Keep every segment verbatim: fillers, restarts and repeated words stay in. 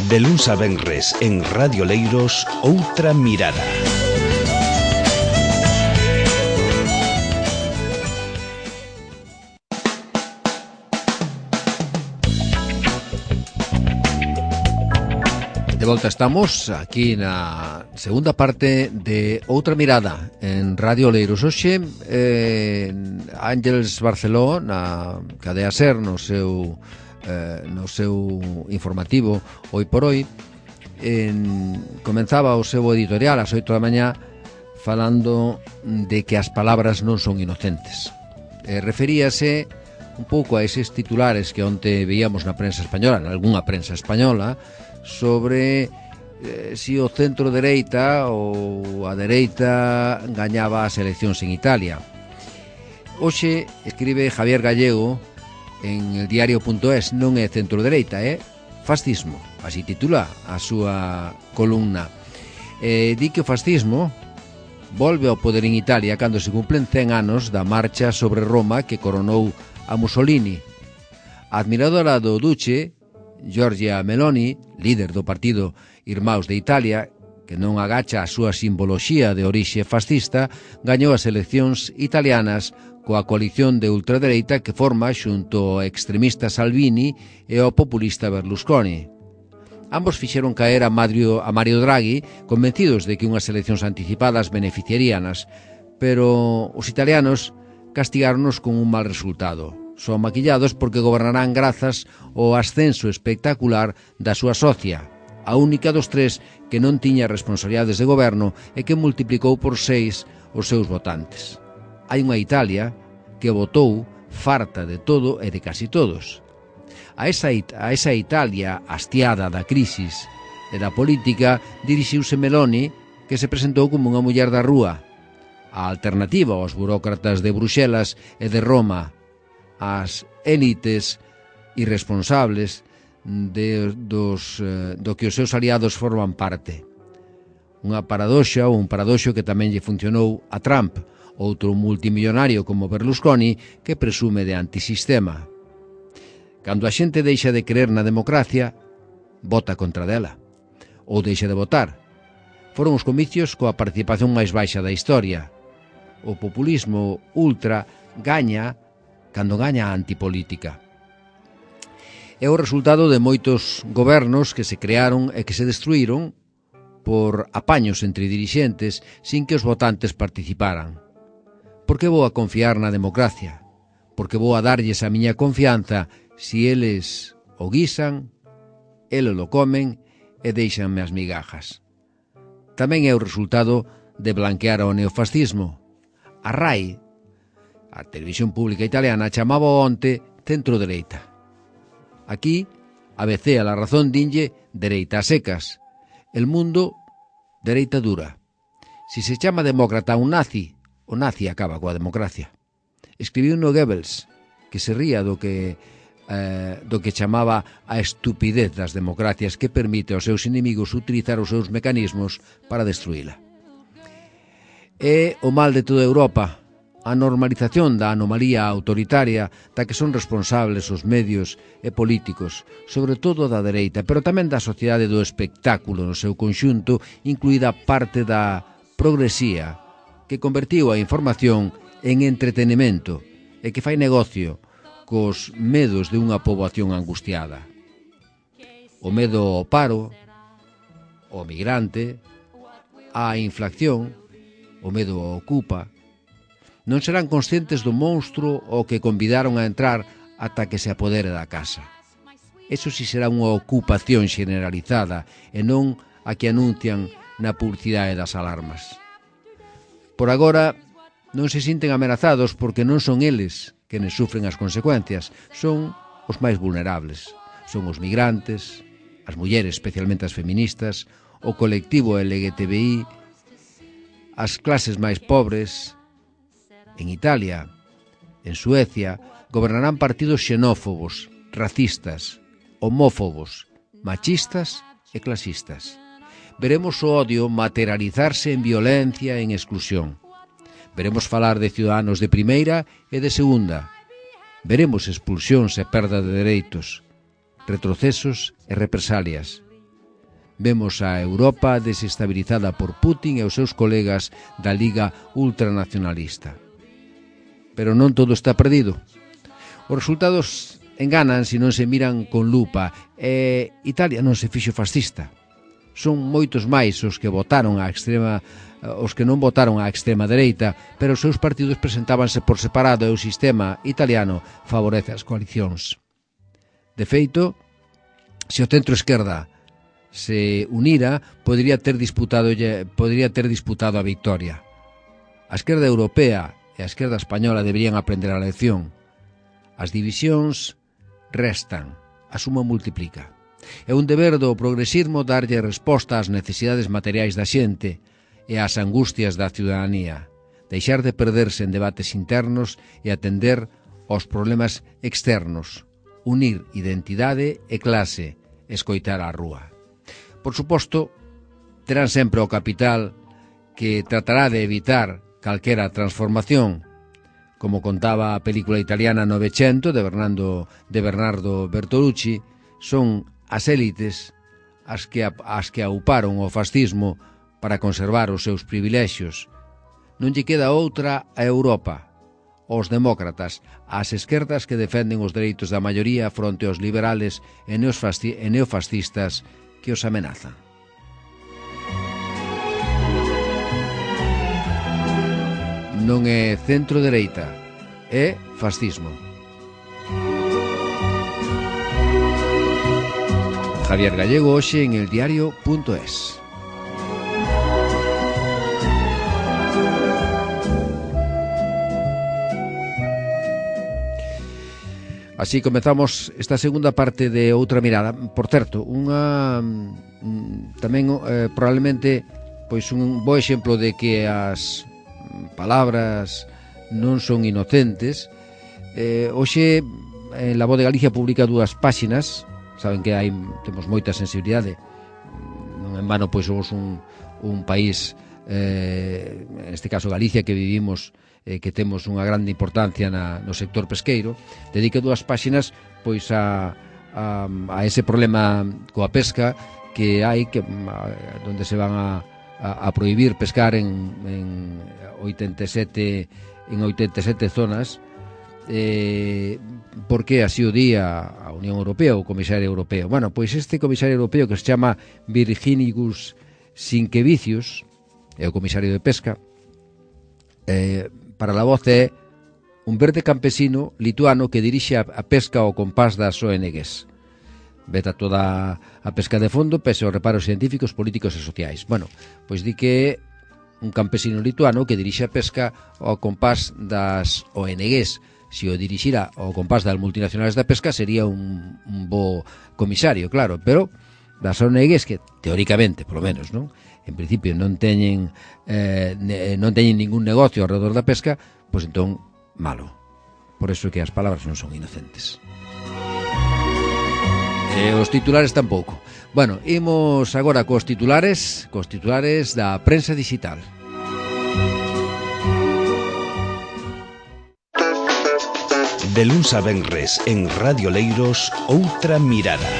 De luns a venres en Radio Leiros, Outra Mirada. De volta estamos aquí na segunda parte de Outra Mirada en Radio Leiros. Hoxe eh, Ángeles Barceló na cadea SER no seu eh, no seu informativo Hoy por Hoy en, comenzaba o seu editorial ás oito da mañá falando de que as palabras non son inocentes. Eh, referíase un pouco a eses titulares que onte veíamos na prensa española, en algunha prensa española, sobre eh, si o centro-dereita ou a dereita gañaba as eleccións en Italia. Hoxe escribe Javier Gallego en el diario punto es, non é centro-dereita, é fascismo, así titula a súa columna. Eh, di que o fascismo volve ao poder en Italia cando se cumplen cen anos da marcha sobre Roma que coronou a Mussolini. A admiradora do Duce, Giorgia Meloni, líder do partido Irmãos de Italia, que non agacha a súa simboloxía de orixe fascista, gañou as eleccións italianas coa coalición de ultradereita que forma xunto ao extremista Salvini e ao populista Berlusconi. Ambos fixeron caer a Mario, a Mario Draghi convencidos de que unhas eleccións anticipadas beneficiaríanas, pero os italianos castigáronos con un mal resultado. Son maquillados porque gobernarán grazas ao ascenso espectacular da súa socia, a única dos tres que non tiña responsabilidades de goberno e que multiplicou por seis os seus votantes. Hai unha Italia que votou farta de todo e de casi todos. A esa, a esa Italia hastiada da crisis e da política dirixiuse Meloni, que se presentou como unha muller da rúa, a alternativa aos burócratas de Bruxelas e de Roma, as élites irresponsables de, dos, do que os seus aliados forman parte. Unha paradoxa ou un paradoxo que tamén lle funcionou a Trump, outro multimillonario como Berlusconi que presume de antisistema. Cando a xente deixa de creer na democracia, vota contra dela, ou deixa de votar. Foron os comicios coa participación máis baixa da historia. O populismo ultra gaña cando gaña a antipolítica. É o resultado de moitos gobernos que se crearon e que se destruíron por apaños entre dirixentes sin que os votantes participaran. Por que vou a confiar na democracia? Por que vou a darlles a miña confianza si eles o guisan, eles lo comen e deixanme as migajas? Tamén é o resultado de blanquear o neofascismo. A RAI, a televisión pública italiana, chamaba onte centro-dereita. Aquí, a B C a La Razón dinlle dereita a secas. El Mundo, dereita dura. Si se chama demócrata a un nazi, o nazi acaba coa democracia. Escribiu no Goebbels, que se ría do que, eh, do que chamaba a estupidez das democracias que permite aos seus inimigos utilizar os seus mecanismos para destruíla. É o mal de toda Europa, a normalización da anomalía autoritaria da que son responsables os medios e políticos, sobre todo da dereita, pero tamén da sociedade do espectáculo no seu conxunto, incluída parte da progresía, que convertiu a información en entretenimento e que fai negocio cos medos de unha poboación angustiada. O medo ao paro, ao migrante, á inflación, o medo ao ocupa. Non serán conscientes do monstro ao que convidaron a entrar ata que se apodere da casa. Eso si será unha ocupación generalizada e non a que anuncian na publicidade das alarmas. Por agora, non se sinten amenazados porque non son eles quenes sufren as consecuencias, son os máis vulnerables. Son os migrantes, as mulleres, especialmente as feministas, o colectivo L G T B I, as clases máis pobres. En Italia, en Suecia, gobernarán partidos xenófobos, racistas, homófobos, machistas e clasistas. Veremos o odio materializarse en violencia e en exclusión. Veremos falar de ciudadanos de primeira e de segunda. Veremos expulsións e perda de dereitos. retrocesos e represalias. Vemos a Europa desestabilizada por Putin e os seus colegas da Liga Ultranacionalista. Pero non todo está perdido. Os resultados enganan se non se miran con lupa, e Italia non se fixo fascista. Son moitos máis os que votaron a extrema, os que non votaron á extrema dereita, pero os seus partidos presentábanse por separado e o sistema italiano favorece as coalicións. De feito, se o centro-esquerda se unira, podría ter disputado, podría ter disputado a victoria. A esquerda europea e a esquerda española deberían aprender a lección. As divisións restan, a suma multiplica. É un deber do progresismo darlle resposta ás necesidades materiais da xente e ás angustias da ciudadanía, deixar de perderse en debates internos e atender aos problemas externos, unir identidade e clase, escoitar a rúa. Por suposto, terán sempre o capital que tratará de evitar calquera transformación, como contaba a película italiana Novecento de Bernardo, de Bernardo Bertolucci. Son as élites as que, as que auparon o fascismo para conservar os seus privilexios. Non lle queda outra a Europa, os demócratas, as esquerdas que defenden os dereitos da maioría fronte aos liberales e neofascistas que os amenazan. Non é centro-dereita, é fascismo. Javier Gallego hoxe en eldiario punto es. Así comezamos esta segunda parte de Outra Mirada. Por certo, unha tamén eh, probablemente pois un bo exemplo de que as palabras non son inocentes. Eh, hoxe en La Voz de Galicia publica dúas páxinas. Saben que hai temos moita sensibilidade. Non en vano pois somos un, un país, eh, en este caso Galicia, que vivimos eh, que temos unha grande importancia na, no sector pesqueiro. Dedica dúas páxinas pois a, a, a ese problema coa pesca que hai, que a, donde se van a, a, a prohibir pescar en, en oitenta e sete en oitenta e sete zonas, eh, porque así o di a, a Unión Europea, o Comisario Europeo. Bueno, pois este Comisario Europeo, que se chama Virginijus Sinkevicius, é o Comisario de Pesca, eh, para La Voz é un verde campesino lituano que dirixe a, a pesca ao compás das O N Ges. Veta toda a pesca de fondo pese aos reparos científicos, políticos e sociais. Bueno, pois di que un campesino lituano que dirixe a pesca ao compás das O N Ges. Se o dirixira ao compás das multinacionales da pesca sería un, un bo comisario, claro, pero das O N Ges que, teóricamente, polo menos, non? En principio non teñen eh, non teñen ningún negocio alrededor da pesca, pois entón, malo. Por eso que as palabras non son inocentes. E os titulares tampouco. Bueno, imos agora cos titulares, cos titulares da prensa digital. De luns a venres en Radio Leiros, Outra Mirada.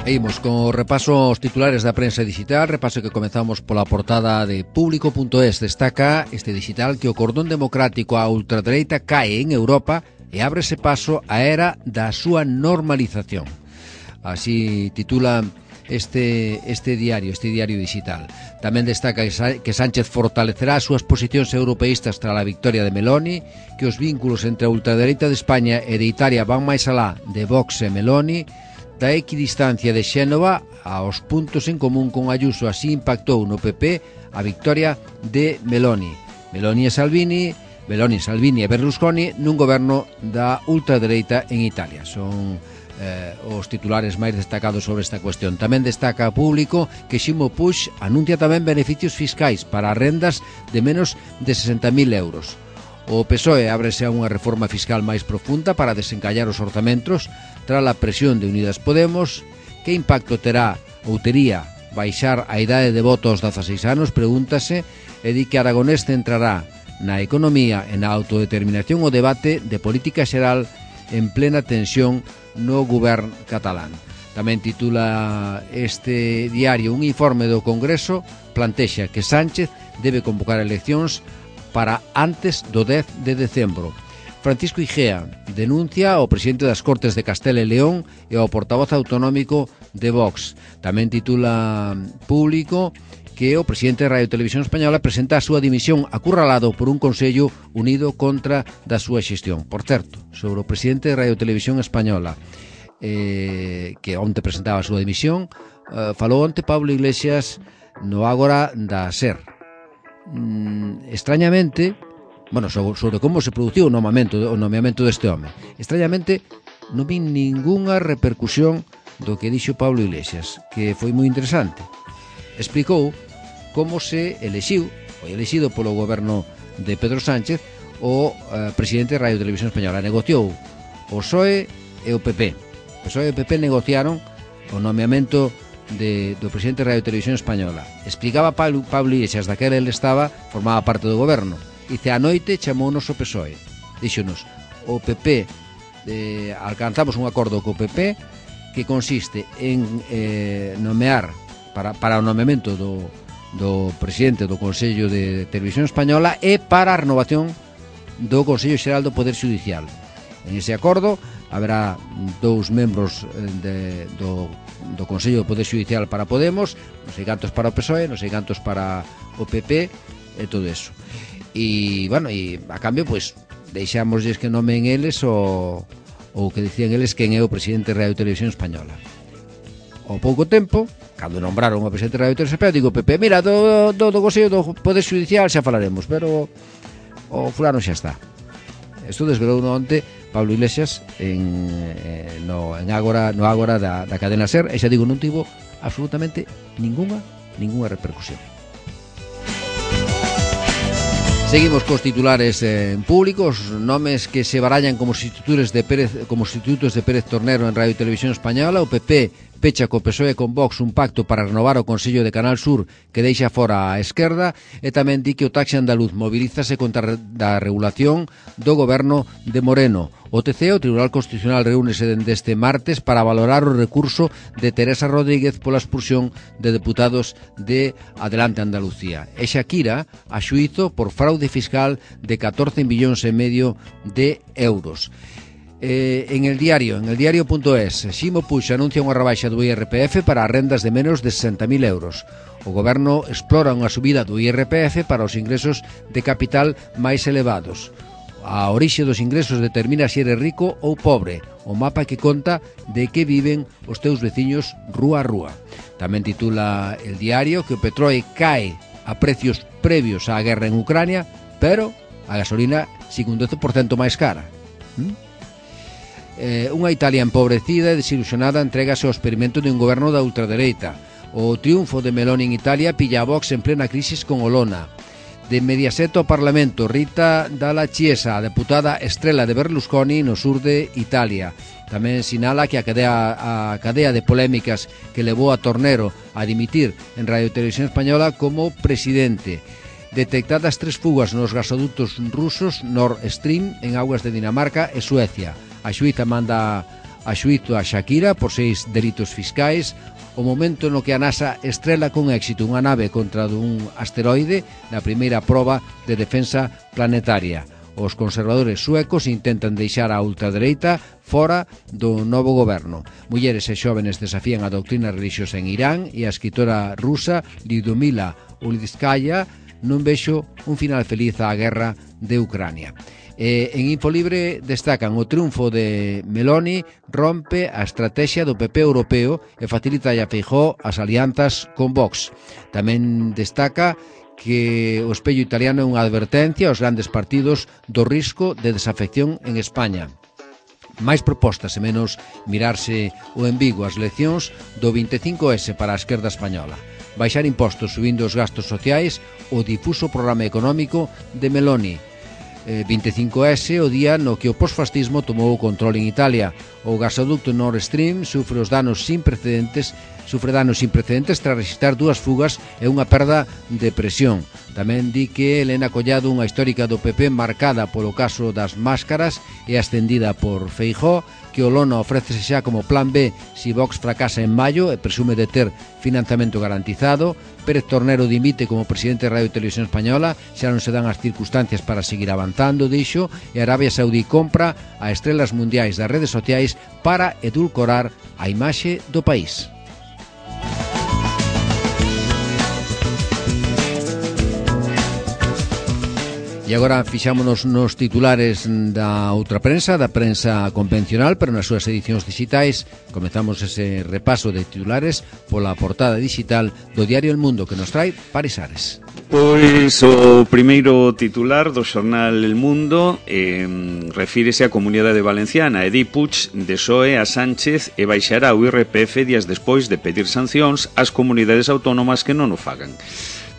Imos con o repaso aos titulares da prensa digital, repaso que comezamos pola portada de Público punto es. Destaca este digital que o cordón democrático á ultradereita cae en Europa e ábrese paso á era da súa normalización. Así titula este, este diario, este diario digital. Tamén destaca que Sánchez fortalecerá as súas posicións europeístas tras a victoria de Meloni, que os vínculos entre a ultradereita de España e de Italia van máis alá de Vox e Meloni. Da equidistancia de Xénova aos puntos en común con Ayuso, así impactou no P P a victoria de Meloni. Meloni e Salvini, Meloni, Salvini e Berlusconi nun goberno da ultradereita en Italia. Son eh, os titulares máis destacados sobre esta cuestión. Tamén destaca a Público que Ximo Puig anuncia tamén beneficios fiscais para rendas de menos de sesenta mil euros. O P S O E ábrese a unha reforma fiscal máis profunda para desencallar os orzamentos tras a presión de Unidas Podemos. Que impacto terá ou tería baixar a idade de voto aos dezaseis anos, pregúntase e di que Aragonés centrará na economía e na autodeterminación o debate de política xeral en plena tensión no goberno catalán. Tamén titula este diario un informe do Congreso plantexa que Sánchez debe convocar eleccións para antes do dez de decembro. Francisco Igea denuncia ao presidente das Cortes de Castela e León e ao portavoz autonómico de Vox. Tamén titula Público que o presidente de Radio Televisión Española presenta a súa dimisión acurralado por un Consello unido contra da súa xestión. Por certo, sobre o presidente de Radio Televisión Española, eh, que onte presentaba a súa dimisión, eh, falou onte Pablo Iglesias no Ágora da SER. Mm, extrañamente, bueno, sobre, sobre como se produciu o nomeamento, o nomeamento deste home. Extrañamente, non vi ningunha repercusión do que dixo Pablo Iglesias, que foi moi interesante. Explicou como se elexiu, foi elexido polo goberno de Pedro Sánchez, o eh, presidente de Radio Televisión Española. Negociou o P S O E e o P P. O P S O E e o P P negociaron o nomeamento de, do presidente de Radio Televisión Española. Explicaba Pablo, Pablo Iglesias, daquela ele estaba, formaba parte do goberno. Dice, a noite chamounos o P S O E. Díxonos, o P P, eh, alcanzamos un acordo co P P que consiste en eh, nomear para, para o nomeamento do, do presidente do Consello de Televisión Española e para a renovación do Consello Xeral do Poder Judicial. En ese acordo haberá dous membros de, do, do Consello do Poder Judicial para Podemos, non sei cantos para o P S O E, non sei cantos para o P P e todo eso. E, bueno, e a cambio, pois, deixámosles que nomen eles o, o que dicían eles quen é o presidente de Radio Televisión Española. Ao pouco tempo, cando nombraron o presidente de Radio Televisión Española, digo, Pepe, mira, do, do, do Consello do Poder Judicial xa falaremos, pero o fulano xa está. Isto desvelou no onte Pablo Iglesias en, eh, no, en Ágora, no Ágora da, da cadena SER, e xa digo, non tivo absolutamente ninguna, ninguna repercusión. Seguimos cos titulares en público, os nomes que se barallan como sustitutos de Pérez, como sustitutos de Pérez Tornero en Radio e Televisión Española. O P P pecha co P S O E e con Vox un pacto para renovar o Consello de Canal Sur que deixa fora a esquerda, e tamén di que o taxi andaluz mobilízase contra a regulación do goberno de Moreno. O T C, o Tribunal Constitucional, reúnese dende este martes para valorar o recurso de Teresa Rodríguez pola expulsión de deputados de Adelante Andalucía. E Shakira a xuízo por fraude fiscal de catorce millóns e medio de euros. Eh, en el diario, en el diario.es, Ximo Puig anuncia unha rebaixa do I R P F para as rendas de menos de sesenta mil euros. O goberno explora unha subida do I R P F para os ingresos de capital máis elevados. A orixe dos ingresos determina se eres rico ou pobre, o mapa que conta de que viven os teus veciños rúa a rúa. Tamén titula el diario que o petróleo cae a precios previos á guerra en Ucrania, pero a gasolina sigue un doce por cento máis cara. ¿Mm? Eh, unha Italia empobrecida e desilusionada entregase ao experimento de un goberno da ultradereita. O triunfo de Meloni en Italia pilla a Vox en plena crisis con Olona. De Mediaset ao Parlamento, Rita Dalla Chiesa, a deputada estrela de Berlusconi no sur de Italia. Tamén sinala que a cadea, a cadea de polémicas que levou a Tornero a dimitir en Radio Televisión Española como presidente. Detectadas tres fugas nos gasoductos rusos Nord Stream en augas de Dinamarca e Suecia. A xuíza manda a xuízo a Shakira por seis delitos fiscais. O momento no que a NASA estrela con éxito unha nave contra un asteroide na primeira proba de defensa planetaria. Os conservadores suecos intentan deixar a ultradereita fora do novo goberno. Mulleres e xóvenes desafían a doutrina religiosa en Irán e a escritora rusa Lyudmila Ulitskaya non vexo un final feliz á guerra de Ucrania. Eh, en Infolibre destacan o triunfo de Meloni rompe a estrategia do P P europeo e facilita a Feijóo as alianzas con Vox. Tamén destaca que o espello italiano é unha advertencia aos grandes partidos do risco de desafección en España. Máis propostas e menos mirarse o embigo as eleccións do vinte e cinco ese para a esquerda española. Baixar impostos subindo os gastos sociais, o difuso programa económico de Meloni. vinte e cinco ese, o día no que o posfascismo tomou o control en Italia. O gasoducto Nord Stream sufre os danos sin precedentes sufre danos sin precedentes tras registrar dúas fugas e unha perda de presión. Tamén di que Elena Collado, unha histórica do P P marcada polo caso das máscaras e ascendida por Feijóo, que o Lona ofrécese xa como plan B si Vox fracasa en maio e presume de ter financiamento garantizado. Pérez Tornero dimite como presidente de Radio e Televisión Española, xa non se dan as circunstancias para seguir avanzando, dixo, e Arabia Saudí compra a estrelas mundiais das redes sociais para edulcorar a imaxe do país. E agora fixámonos nos titulares da outra prensa, da prensa convencional, pero nas súas edicións digitais. Comezamos ese repaso de titulares pola portada digital do diario El Mundo, que nos trae Paris Ares. Pois o primeiro titular do xornal El Mundo eh, refírese á Comunidade Valenciana e di Puig desoe a Sánchez e baixará o I R P F días despois de pedir sancións ás comunidades autónomas que non o fagan.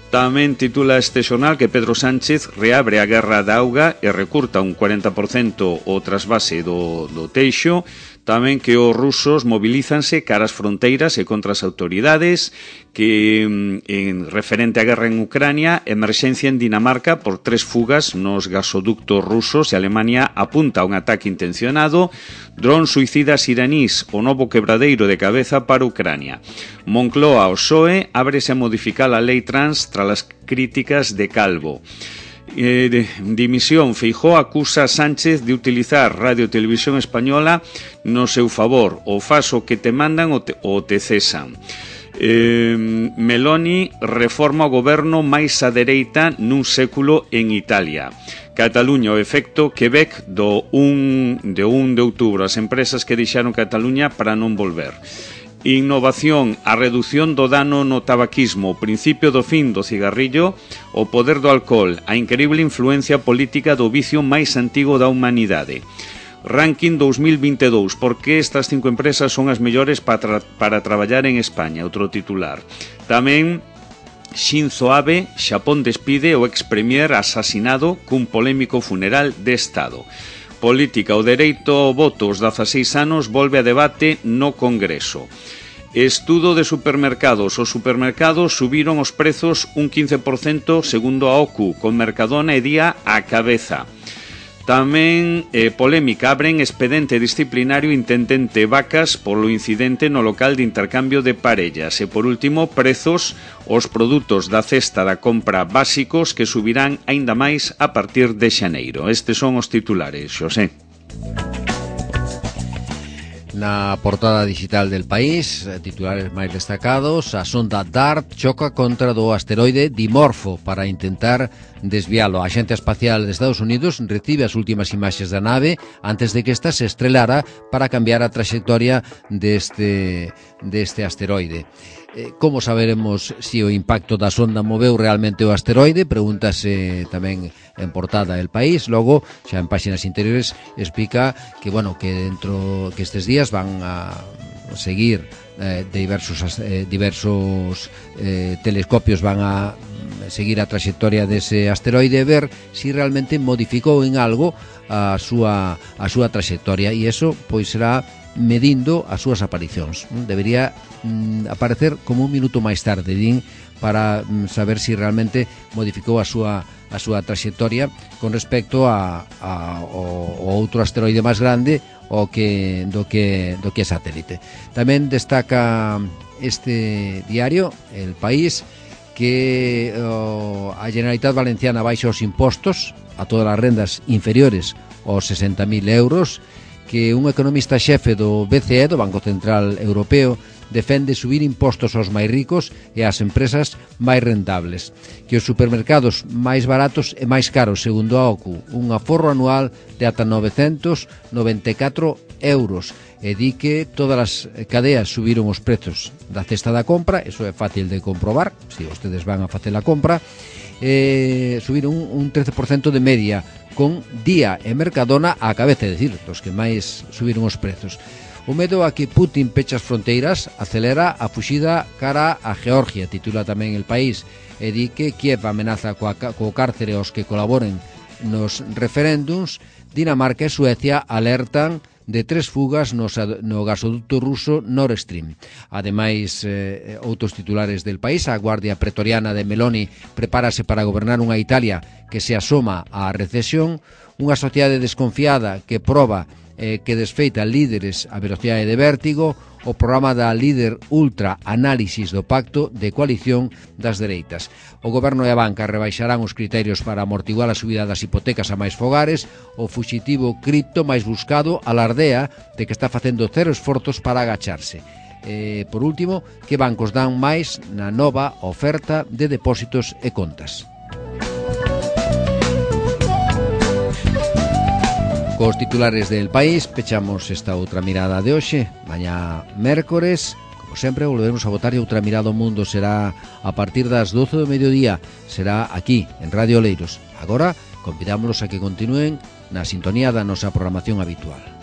Tamén titula este xornal que Pedro Sánchez reabre a guerra da auga e recurta un cuarenta por cento o trasvase do, do Teixo. Tamén que os rusos mobilízanse cara ás fronteiras e contra as autoridades, que en referente á guerra en Ucrania, emerxencia en Dinamarca por tres fugas nos gasoductos rusos e Alemania apunta a un ataque intencionado. Dron suicidas iranís, o novo quebradeiro de cabeza para Ucrania. Moncloa, o P S O E, ábrese a modificar a lei trans tras as críticas de Calvo. Eh, de, dimisión, Feijóo acusa a Sánchez de utilizar Radio e Televisión Española no seu favor. O fas o que te mandan ou te, o te cesan. Eh, Meloni reforma o goberno máis á dereita nun século en Italia. Cataluña, o efecto Quebec do un de un de outubro. As empresas que deixaron Cataluña para non volver. Innovación, a reducción do dano no tabaquismo, o principio do fin do cigarrillo, o poder do alcohol, a increíble influencia política do vicio máis antigo da humanidade. Ranking dos mil vinte e dous, por que estas cinco empresas son as mellores para, tra para traballar en España, outro titular. Tamén Shinzo Abe, Xapón despide o ex-premier asasinado cun polémico funeral de Estado. Política, o dereito ao voto aos dezaseis anos volve a debate no Congreso. Estudo de supermercados. Os supermercados subiron os prezos un quince por cento segundo a O C U, con Mercadona e Día á cabeza. Tamén eh, polémica, abren expediente disciplinario intendente Vacas polo incidente no local de intercambio de parellas. E por último, prezos, os produtos da cesta da compra básicos que subirán aínda máis a partir de xaneiro. Estes son os titulares, Xosé. Na portada digital del País, titulares máis destacados, a sonda DART choca contra do asteroide Dimorfo para intentar desvialo. A Axencia Espacial de Estados Unidos recibe as últimas imaxes da nave antes de que esta se estrelara para cambiar a trayectoria deste, deste asteroide. Como saberemos se o impacto da sonda moveu realmente o asteroide? Pregúntase tamén en portada El País. Logo, xa en páxinas interiores, explica que, bueno, que dentro que estes días van a seguir eh, diversos eh, diversos eh, telescopios van a seguir a trayectoria dese asteroide e ver si realmente modificou en algo a súa a súa trayectoria, e iso pois será medindo as súas aparicións. Debería mm, aparecer como un minuto máis tarde, din, para mm, saber si realmente modificou a súa a súa trayectoria con respecto a, a o, o outro asteroide máis grande o que do que do que é satélite. Tamén destaca este diario, El País, que oh, a Generalitat Valenciana baixa os impostos a todas as rendas inferiores aos sesenta mil euros, que un economista xefe do B C E, do Banco Central Europeo, defende subir impostos aos máis ricos e ás empresas máis rentables, que os supermercados máis baratos e máis caros, segundo a O C U, un aforro anual de ata novecentos noventa e catro euros, e di que todas as cadeas subiron os prezos da cesta da compra. Eso é fácil de comprobar, se ustedes van a facer a compra. Eh, subiron un, un trece por cento de media, con Día e Mercadona á cabeza, é dicir, os que máis subiron os prezos. O medo a que Putin pecha as fronteiras acelera a fuxida cara a Georgia, titula tamén El País, e di que Kiev amenaza coa, co cárcere aos que colaboren nos referéndums. Dinamarca e Suecia alertan de tres fugas no, no gasoducto ruso Nord Stream. Ademais, eh, outros titulares del país, a Guardia Pretoriana de Meloni prepárase para gobernar unha Italia que se asoma á recesión, unha sociedade desconfiada que proba eh, que desfeita líderes a velocidade de vértigo, o programa da líder ultra análisis do pacto de coalición das dereitas. O goberno e a banca rebaixarán os criterios para amortiguar a subida das hipotecas a máis fogares. O fuxitivo cripto máis buscado alardea de que está facendo cero esforzos para agacharse. E, por último, que bancos dan máis na nova oferta de depósitos e contas. Cos titulares del país pechamos esta outra mirada de hoxe. Mañá mércores, como sempre, volveremos a botar e outra mirada ao mundo. Será a partir das doce do mediodía. Será aquí, en Radio Oleiros. Agora, convidámolos a que continúen na sintonía da nosa programación habitual.